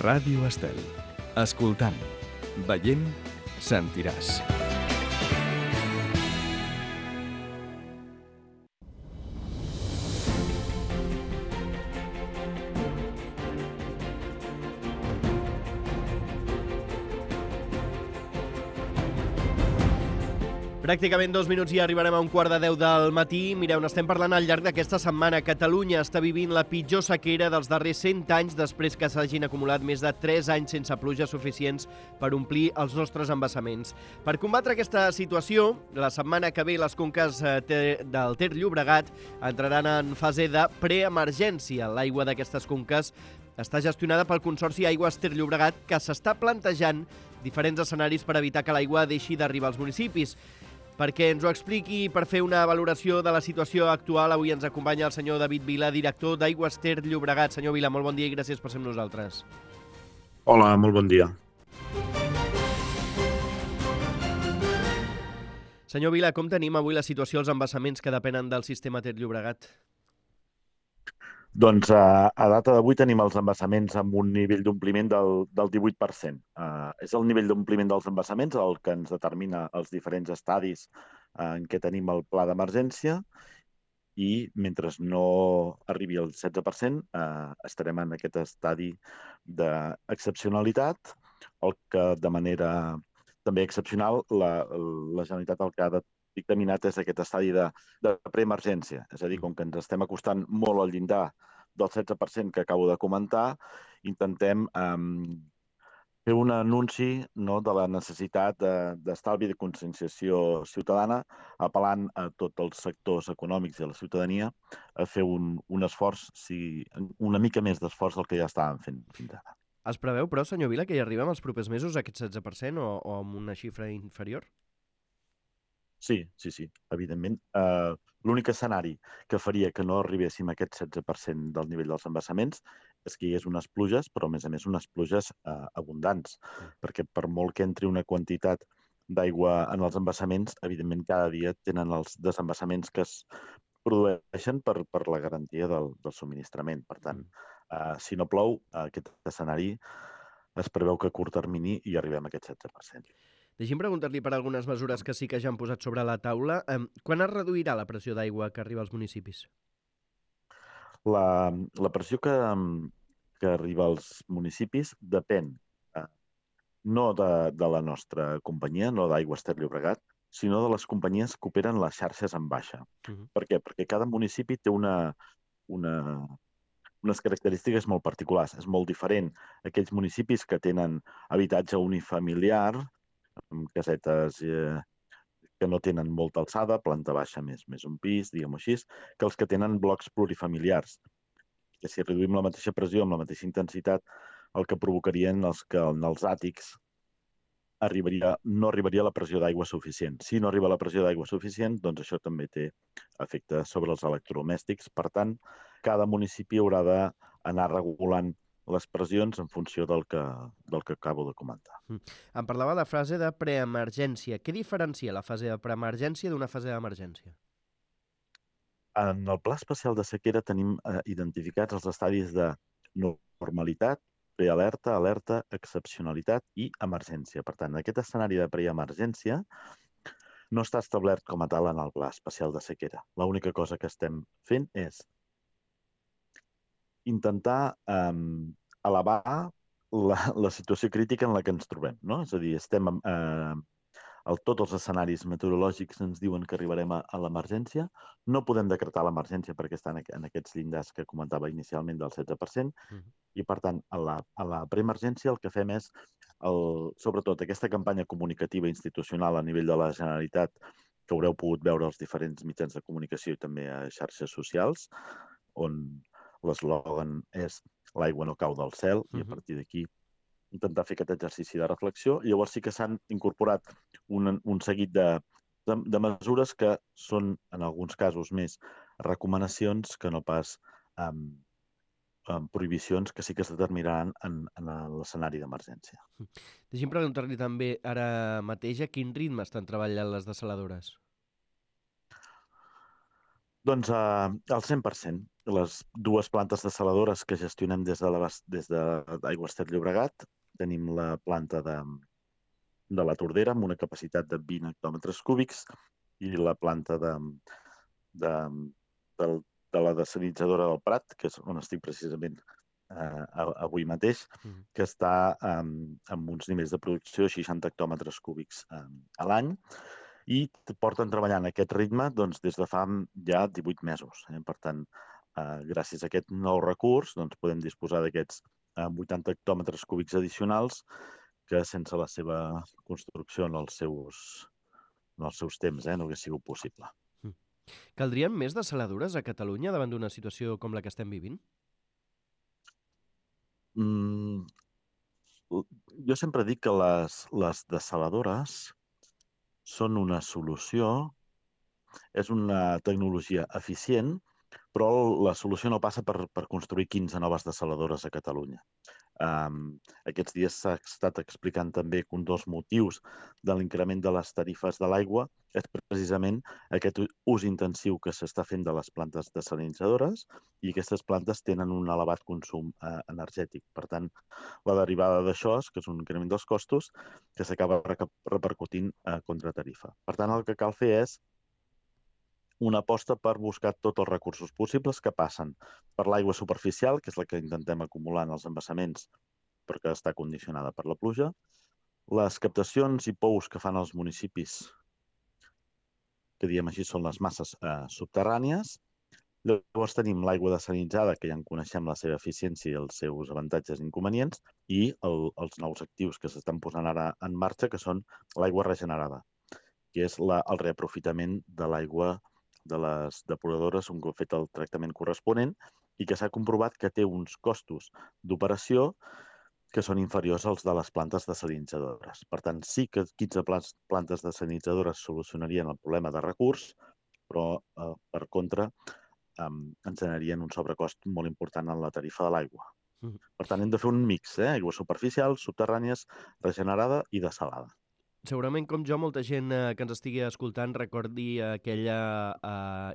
Ràdio Estel. Escoltant, veient, sentiràs. Pràcticament 2 minuts i arribarem a 9:45 del matí. Mireu, n'estem parlant al llarg d'aquesta setmana. Catalunya està vivint la pitjor sequera dels darrers 100 anys després que s'hagin acumulat més de 3 anys sense pluges suficients per omplir els nostres embassaments. Per combatre aquesta situació, la setmana que ve les conques del Ter Llobregat entraran en fase de preemergència. L'aigua d'aquestes conques està gestionada pel Consorci Aigües Ter Llobregat, que s'està plantejant diferents escenaris per evitar que l'aigua deixi d'arribar als municipis. Perquè ens ho expliqui i per fer una valoració de la situació actual, avui ens acompanya el senyor David Vila, director d'Aigües Ter Llobregat. Senyor Vila, molt bon dia i gràcies per ser amb nosaltres. Hola, molt bon dia. Senyor Vila, com tenim avui la situació als embassaments que depenen del sistema Ter Llobregat? Doncs a data d'avui tenim els embassaments amb un nivell d'ompliment del 18%. És el nivell d'ompliment dels embassaments el que ens determina els diferents estadis en què tenim el pla d'emergència i mentre no arribi al 16% estarem en aquest estadi d'excepcionalitat, el que de manera també excepcional la Generalitat el que ha dictaminat és aquest estadi de preemergència. És a dir, com que ens estem acostant molt al llindar del 16% que acabo de comentar, intentem fer un anunci de la necessitat d'estalvi i de conscienciació ciutadana, apel·lant a tots els sectors econòmics i a la ciutadania a fer un esforç, una mica més d'esforç del que ja estàvem fent fins ara. Es preveu, però, senyor Vila, que hi arribem als propers mesos a aquest 16% o amb una xifra inferior? Sí, evidentment. L'únic escenari que faria que no arribéssim a aquest 16% del nivell dels embassaments és que hi hagués unes pluges, però a més unes pluges abundants, perquè per molt que entri una quantitat d'aigua en els embassaments, evidentment cada dia tenen els desembassaments que es produeixen per la garantia del subministrament. Per tant, si no plou, aquest escenari es preveu que a curt termini hi arribem a aquest 16%. Deixi'm preguntar-li per algunes mesures que sí que ja han posat sobre la taula. Quan es reduirà la pressió d'aigua que arriba als municipis? La pressió que arriba als municipis depèn no de la nostra companyia, no d'Aigües Ter Llobregat, sinó de les companyies que operen les xarxes en baixa. Per què? Perquè cada municipi té unes característiques molt particulars. És molt diferent aquells municipis que tenen habitatge unifamiliar, amb casetes que no tenen molta alçada, planta baixa més un pis, diguem-ho així, que els que tenen blocs plurifamiliars. Que si reduïm la mateixa pressió amb la mateixa intensitat, el que provocarien que en els àtics no arribaria la pressió d'aigua suficient. Si no arriba la pressió d'aigua suficient, doncs això també té efecte sobre els electrodomèstics. Per tant, cada municipi haurà d'anar regulant les pressions en funció del que acabo de comentar. Em parlava de fase de preemergència. Què diferencia la fase de preemergència d'una fase d'emergència? En el Pla Especial de Sequera tenim identificats els estadis de normalitat, prealerta, alerta, excepcionalitat i emergència. Per tant, aquest escenari de preemergència no està establert com a tal en el Pla Especial de Sequera. L'única cosa que estem fent és intentar elevar la situació crítica en la que ens trobem, no? És a dir, tots els escenaris meteorològics ens diuen que arribarem a l'emergència. No podem decretar l'emergència perquè està en aquests llindars que comentava inicialment del 16%, i per tant, a la preemergència el que fem és, sobretot aquesta campanya comunicativa institucional a nivell de la Generalitat, que haureu pogut veure als diferents mitjans de comunicació i també a xarxes socials, on l'eslògan és l'aigua no cau del cel, i a partir d'aquí intentar fer aquest exercici de reflexió. Llavors sí que s'han incorporat un seguit de mesures que són, en alguns casos, més recomanacions que no pas prohibicions, que sí que es determinaran en l'escenari d'emergència. Deixi'm preguntar-li també ara mateix a quin ritme estan treballant les dessaladores. Doncs al 100%. Les dues plantes dessaladores que gestionem des d'Aigües Ter Llobregat, tenim la planta de la Tordera amb una capacitat de 20 hectòmetres cúbics i la planta de, del, de la desalinitzadora del Prat, que és on estic precisament avui mateix, que està amb uns nivells de producció de 60 hectòmetres cúbics a l'any, i porten treballant a aquest ritme doncs, des de fa ja 18 mesos. Per tant, gràcies a aquest nou recurs, doncs, podem disposar d'aquests 80 hectòmetres cúbics addicionals que sense la seva construcció en els seus temps no hagués sigut possible. Caldrien més dessaladores a Catalunya davant d'una situació com la que estem vivint? Jo sempre dic que les dessaladores són una solució, és una tecnologia eficient, però la solució no passa per construir 15 noves dessaladores a Catalunya. Aquests dies s'ha estat explicant també que un dels motius de l'increment de les tarifes de l'aigua és precisament aquest ús intensiu que s'està fent de les plantes desalinitzadores, i aquestes plantes tenen un elevat consum energètic. Per tant, la derivada d'això és que és un increment dels costos que s'acaba repercutint contra tarifa. Per tant, el que cal fer és una aposta per buscar tots els recursos possibles que passen per l'aigua superficial, que és la que intentem acumular en els embassaments perquè està condicionada per la pluja, les captacions i pous que fan els municipis, que diem així són les masses subterrànies. Llavors tenim l'aigua desalinitzada, que ja en coneixem la seva eficiència i els seus avantatges i inconvenients, i els nous actius que s'estan posant ara en marxa, que són l'aigua regenerada, que és el reaprofitament de l'aigua de les depuradores un cop fet el tractament corresponent, i que s'ha comprovat que té uns costos d'operació que són inferiors als de les plantes desalinitzadores. Per tant, sí que 15 plantes desalinitzadores solucionarien el problema de recurs, però, per contra, ens generarien un sobrecost molt important en la tarifa de l'aigua. Per tant, hem de fer un mix, aigua superficial, subterrànies, regenerada i desalada. Segurament, com jo, molta gent que ens estigui escoltant recordi aquella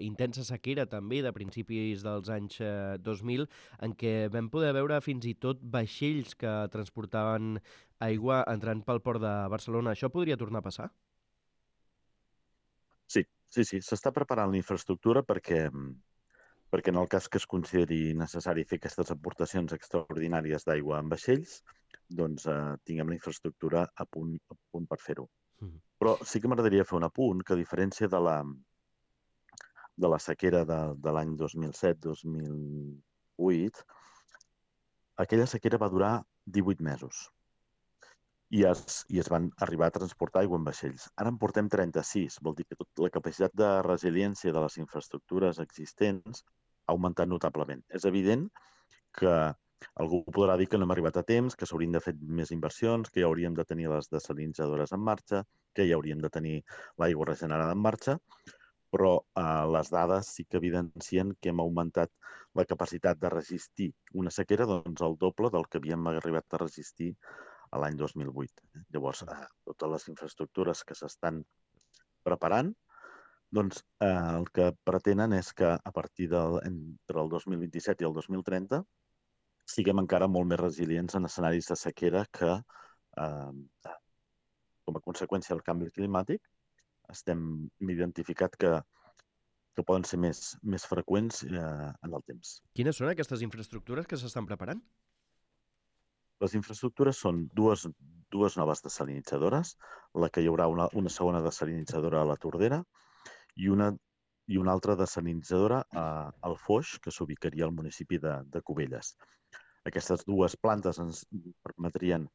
intensa sequera també de principis dels anys 2000, en què vam poder veure fins i tot vaixells que transportaven aigua entrant pel port de Barcelona. Això podria tornar a passar? Sí. S'està preparant la infraestructura perquè en el cas que es consideri necessari fer aquestes aportacions extraordinàries d'aigua en vaixells, doncs tinguem la infraestructura a punt per fer-ho. Però sí que m'agradaria fer un apunt, que a diferència de la sequera de l'any 2007-2008, aquella sequera va durar 18 mesos i es van arribar a transportar aigua en vaixells. Ara en portem 36, vol dir que la capacitat de resiliència de les infraestructures existents ha augmentat notablement. És evident que algú podrà dir que no hem arribat a temps, que s'haurien de fer més inversions, que ja hauríem de tenir les desalinitzadores en marxa, que ja hauríem de tenir l'aigua regenerada en marxa, però les dades sí que evidencien que hem augmentat la capacitat de resistir una sequera doncs el doble del que havíem arribat a resistir a l'any 2008. Llavors, totes les infraestructures que s'estan preparant, doncs el que pretenen és que a partir entre el 2027 i el 2030 siguem encara molt més resilients en escenaris de sequera que, com a conseqüència del canvi climàtic, hem identificat que poden ser més freqüents en el temps. Quines són aquestes infraestructures que s'estan preparant? Les infraestructures són dues noves desalinitzadores, la que hi haurà una segona desalinitzadora a la Tordera i una altra desalinitzadora al Foix, que s'ubicaria al municipi de Cubelles. Aquestes dues plantes ens permetrien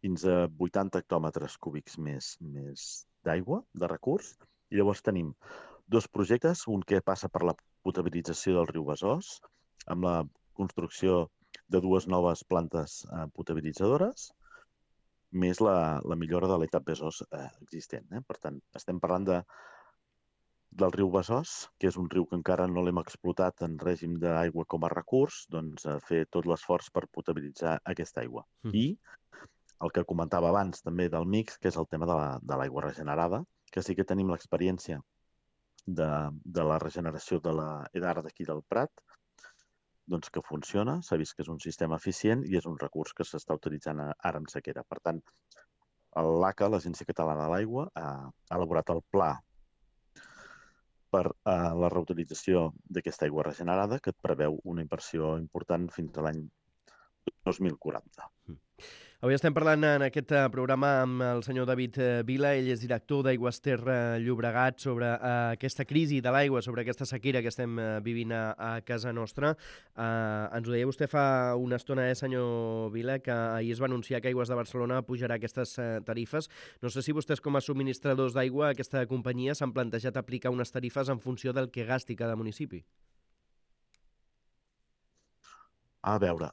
fins a 80 hectòmetres cúbics més d'aigua, de recurs, i llavors tenim dos projectes, un que passa per la potabilització del riu Besòs, amb la construcció de dues noves plantes potabilitzadores, més la millora de l'etap Besòs existent. Per tant, estem parlant del riu Besòs, que és un riu que encara no l'hem explotat en règim d'aigua com a recurs, doncs fer tot l'esforç per potabilitzar aquesta aigua. I el que comentava abans també del mix, que és el tema de l'aigua regenerada, que sí que tenim l'experiència de la regeneració de l'EDAR d'aquí del Prat, doncs que funciona, s'ha vist que és un sistema eficient i és un recurs que s'està utilitzant ara en sequera. Per tant, l'ACA, l'Agència Catalana de l'Aigua, ha elaborat el pla per la reutilització d'aquesta aigua regenerada, que et preveu una inversió important fins a l'any 2040. Avui estem parlant en aquest programa amb el senyor David Vila. Ell és director d'Aigües Ter Llobregat, sobre aquesta crisi de l'aigua, sobre aquesta sequera que estem vivint a casa nostra. Ens ho deia vostè fa una estona, senyor Vila, que ahir es va anunciar que Aigües de Barcelona pujarà aquestes tarifes. No sé si vostès, com a subministradors d'aigua, aquesta companyia, s'han plantejat aplicar unes tarifes en funció del que gasti cada municipi. A veure,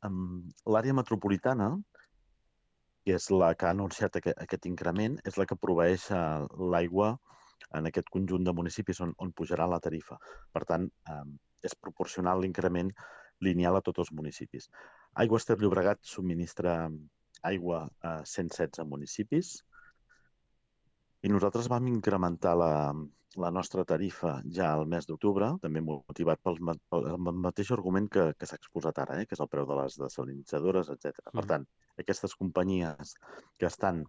l'àrea metropolitana, que és la que ha anunciat aquest increment, és la que proveeix l'aigua en aquest conjunt de municipis on pujarà la tarifa. Per tant, és proporcional l'increment lineal a tots els municipis. Aigües Ter Llobregat subministra aigua a 116 municipis i nosaltres vam incrementar la nostra tarifa ja al mes d'octubre, també motivat pel mateix argument que s'ha exposat ara, que és el preu de les desalinitzadores, etc. Per tant, aquestes companyies que estan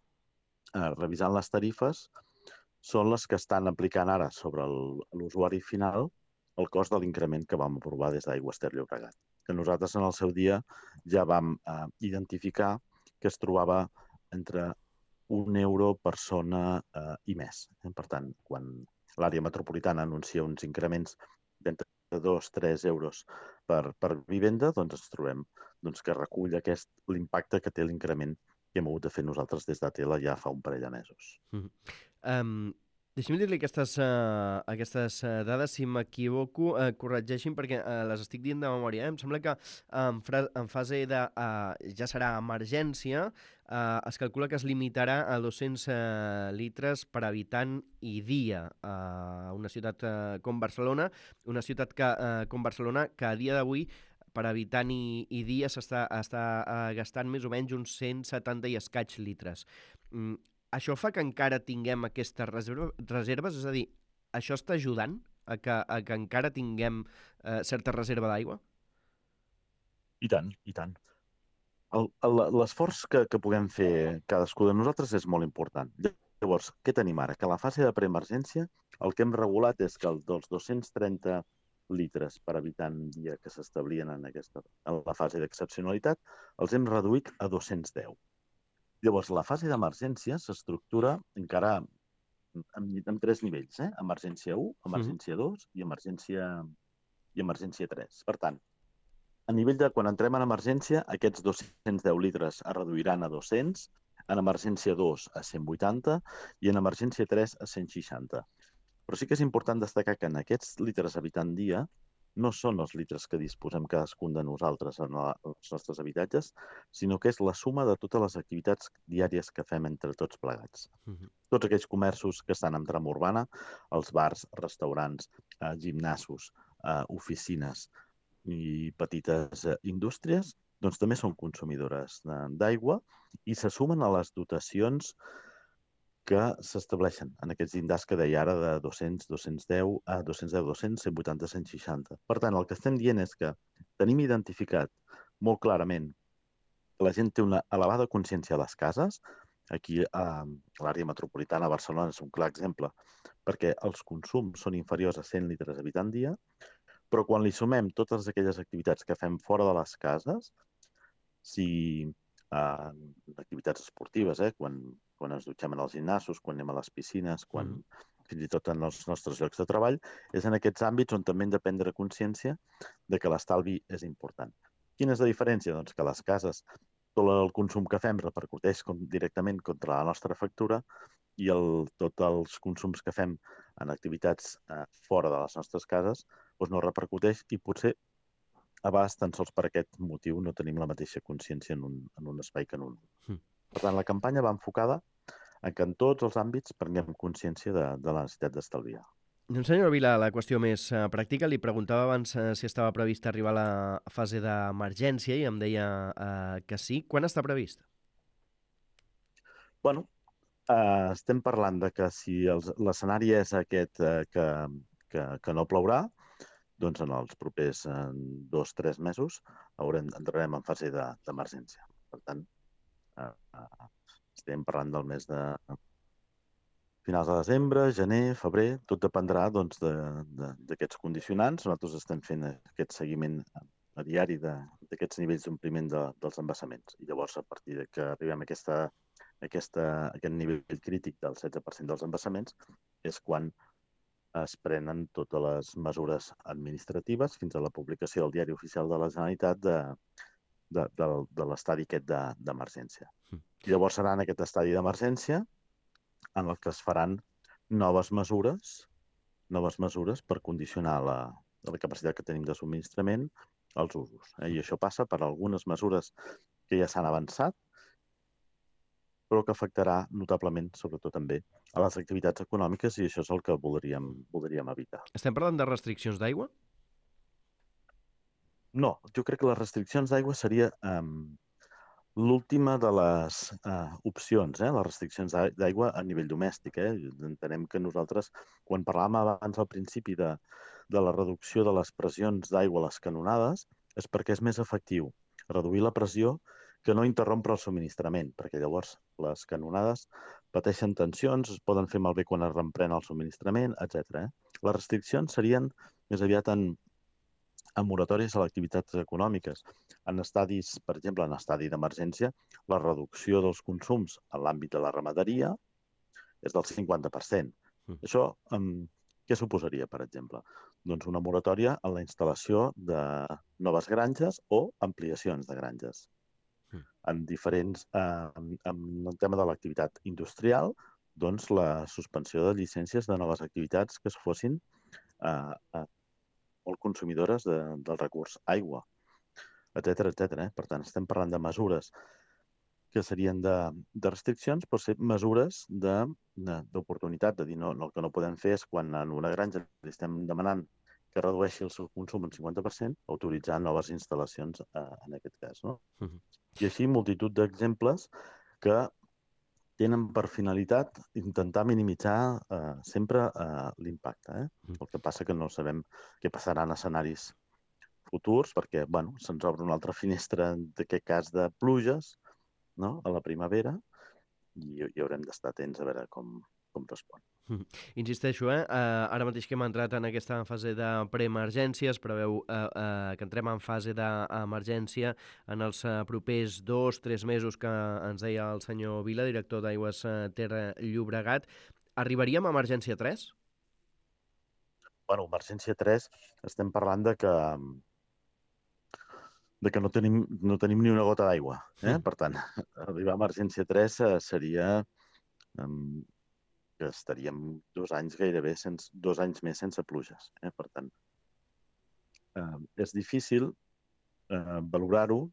revisant les tarifes són les que estan aplicant ara sobre l'usuari final el cost de l'increment que vam aprovar des d'Aigües Ter Llobregat, que nosaltres en el seu dia ja vam identificar que es trobava entre €1 persona i més. Per tant, quan l'àrea metropolitana anuncia uns increments d'entre 2-3 euros per vivenda, doncs ens trobem que recull l'impacte que té l'increment que hem hagut de fer nosaltres des d'Atela ja fa un parell de mesos. Deixi'm dir-li aquestes dades, si m'equivoco, corregeixin perquè les estic dient de memòria. Em sembla que en fase de ja serà emergència, es calcula que es limitarà a 200 litres per habitant i dia a una ciutat com Barcelona, una ciutat com Barcelona que a dia d'avui per habitant i dia està gastant més o menys uns 170 i escaig litres. Això fa que encara tinguem aquestes reserves? És a dir, això està ajudant a que encara tinguem certa reserva d'aigua? I tant, i tant. L'esforç que puguem fer cadascú de nosaltres és molt important. Llavors, què tenim ara? Que a la fase de preemergència el que hem regulat és que dels 230 litres per habitant dia que s'establien en la fase d'excepcionalitat els hem reduït a 210. Llavors, la fase d'emergència s'estructura encara en 3 nivells, emergència 1, emergència 2 i emergència 3. Per tant, a nivell de quan entrem en emergència, aquests 210 litres es reduiran a 200, en emergència 2 a 180 i en emergència 3 a 160. Però sí que és important destacar que en aquests litres habitant dia no són els litres que disposem cadascun de nosaltres en els nostres habitatges, sinó que és la suma de totes les activitats diàries que fem entre tots plegats. Tots aquells comerços que estan en tram urbana, els bars, restaurants, gimnasos, oficines i petites indústries, doncs també són consumidores d'aigua i se sumen a les dotacions que s'estableixen en aquests llindars que deia ara de 200, 210, 200, 180, 160. Per tant, el que estem dient és que tenim identificat molt clarament que la gent té una elevada consciència a les cases. Aquí a l'àrea metropolitana de Barcelona és un clar exemple, perquè els consums són inferiors a 100 litres habitant dia, però quan li sumem totes aquelles activitats que fem fora de les cases, si activitats esportives, quan ens dutxem en els gimnasos, quan anem a les piscines, fins i tot en els nostres llocs de treball, és en aquests àmbits on també hem de prendre consciència de que l'estalvi és important. Quina és la diferència? Doncs que a les cases tot el consum que fem repercuteix directament contra la nostra factura i tots els consums que fem en activitats fora de les nostres cases no repercuteix i potser a vegades tan sols per aquest motiu no tenim la mateixa consciència en un espai que en un. Per tant, la campanya va enfocada a que en tots els àmbits prenguem consciència de la necessitat d'estalviar. Doncs, senyora Vila, la qüestió més pràctica, li preguntava abans si estava previst arribar a la fase d'emergència i em deia que sí. Quan està previst? Bueno, Estem parlant de que si l'escenari és aquest que no plourà, doncs en els propers 2 o 3 mesos entrarem en fase d'emergència. Per tant, estem parlant del mes de finals de desembre, gener, febrer, tot dependrà doncs, d'aquests condicionants. Nosaltres estem fent aquest seguiment a diari d'aquests nivells d'ompliment dels embassaments. I llavors, a partir de que arribem a aquest nivell crític del 16% dels embassaments, és quan es prenen totes les mesures administratives fins a la publicació del Diari Oficial de la Generalitat de l'estadi aquest d'emergència. I llavors serà en aquest estadi d'emergència en el que es faran noves mesures per condicionar la capacitat que tenim de subministrament als usos. I això passa per algunes mesures que ja s'han avançat, però que afectarà notablement, sobretot també, a les activitats econòmiques, i això és el que voldríem evitar. Estem parlant de restriccions d'aigua? No, jo crec que les restriccions d'aigua seria l'última de les opcions, les restriccions d'aigua a nivell domèstic. Entenem que nosaltres, quan parlàvem abans al principi de la reducció de les pressions d'aigua a les canonades, és perquè és més efectiu reduir la pressió que no interrompre el subministrament, perquè llavors les canonades pateixen tensions, es poden fer malbé quan es reprèn el subministrament, etc. Les restriccions serien més aviat en moratòries a les activitats econòmiques. En estadis, per exemple, en estadi d'emergència, la reducció dels consums en l'àmbit de la ramaderia és del 50%. Això què suposaria, per exemple? Doncs una moratòria en la instal·lació de noves granges o ampliacions de granges. En el tema de l'activitat industrial, doncs la suspensió de llicències de noves activitats que es fossin molt consumidores del recurs aigua, etc. Per tant, estem parlant de mesures que serien de restriccions, però ser mesures d'oportunitat, de dir, no, el que no podem fer és quan en una granja li estem demanant que redueixi el seu consum en 50%, autoritzar noves instal·lacions en aquest cas. No? I així multitud d'exemples que tenen per finalitat intentar minimitzar sempre l'impacte. El que passa que no sabem què passarà en escenaris futurs, perquè se'ns obre una altra finestra, en aquest cas de pluges, no? A la primavera, i haurem d'estar atents a veure com respon. Insisteixo, ara mateix que hem entrat en aquesta fase de preemergència, es preveu que entrem en fase d'emergència en els propers 2 o 3 mesos que ens deia el senyor Vila, director d'Aigües Ter Llobregat. Arribaríem a emergència 3? Emergència 3, estem parlant de que no tenim ni una gota d'aigua. Per tant, arribar a emergència 3 seria que estaríem 2 anys gairebé, 2 anys més sense pluges. Per tant, és difícil valorar-ho,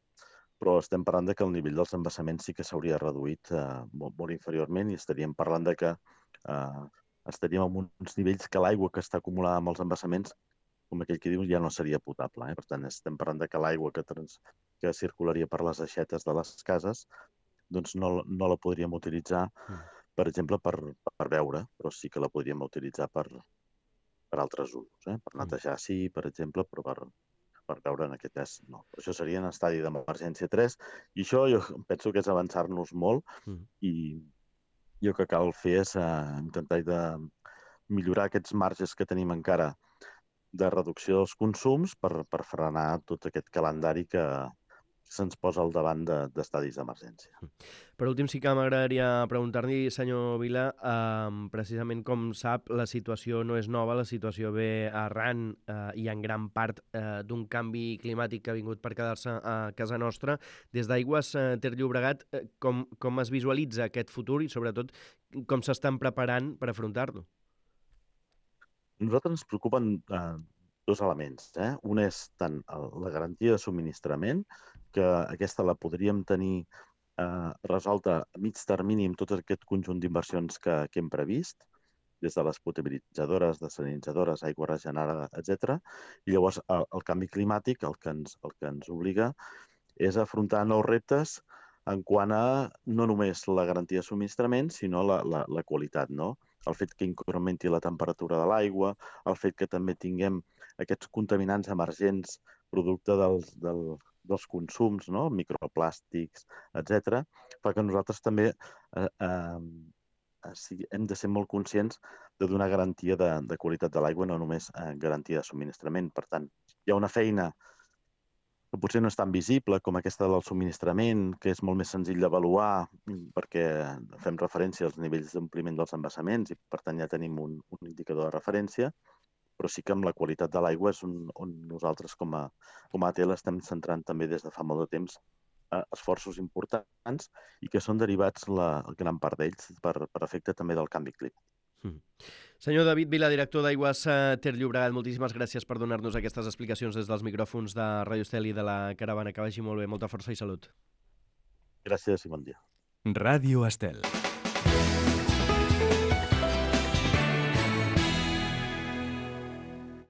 però estem parlant que el nivell dels embassaments sí que s'hauria reduït molt inferiorment, i estaríem parlant que estaríem en uns nivells que l'aigua que està acumulada amb els embassaments, com aquell que diu, ja no seria potable. Per tant, estem parlant que l'aigua que circularia per les aixetes de les cases doncs no la podríem utilitzar, per exemple, per beure, però sí que la podríem utilitzar per altres usos. Per netejar, sí, per exemple, però per beure en aquest cas no. Això seria en estadi d'emergència 3, i això jo penso que és avançar-nos molt, i el que cal fer és intentar millorar aquests marges que tenim encara de reducció dels consums per frenar tot aquest calendari que se'ns posa al davant d'estadis d'emergència. Per últim, sí que m'agradaria preguntar-li, senyor Vila, precisament com sap, la situació no és nova, la situació ve arran i en gran part d'un canvi climàtic que ha vingut per quedar-se a casa nostra. Des d'Aigües Ter Llobregat, com es visualitza aquest futur i, sobretot, com s'estan preparant per afrontar-lo? A nosaltres ens preocupen 2 elements. Un és tant la garantia de subministrament, que aquesta la podríem tenir resolta a mig termini amb tot aquest conjunt d'inversions que hem previst, des de les potabilitzadores, desalinitzadores, aigua regenerada, etc. I llavors el canvi climàtic el que ens obliga és a afrontar nous reptes en quant a no només la garantia de subministrament, sinó la qualitat, no? El fet que incrementi la temperatura de l'aigua, el fet que també tinguem aquests contaminants emergents producte dels consums, no? Microplàstics, etc., fa que nosaltres també hem de ser molt conscients de donar garantia de qualitat de l'aigua, no només garantia de subministrament. Per tant, hi ha una feina que potser no és tan visible com aquesta del subministrament, que és molt més senzill d'avaluar perquè fem referència als nivells d'ompliment dels embassaments i per tant ja tenim un indicador de referència, però sí que amb la qualitat de l'aigua és on nosaltres com a ATL estem centrant també des de fa molt de temps esforços importants i que són derivats la gran part d'ells per efecte també del canvi climàtic. Senyor David Vila, director d'Aigües Ter Llobregat, moltíssimes gràcies per donar-nos aquestes explicacions des dels micròfons de Ràdio Estel i de la Caravana. Que vagi molt bé, molta força i salut. Gràcies i bon dia. Ràdio Estel.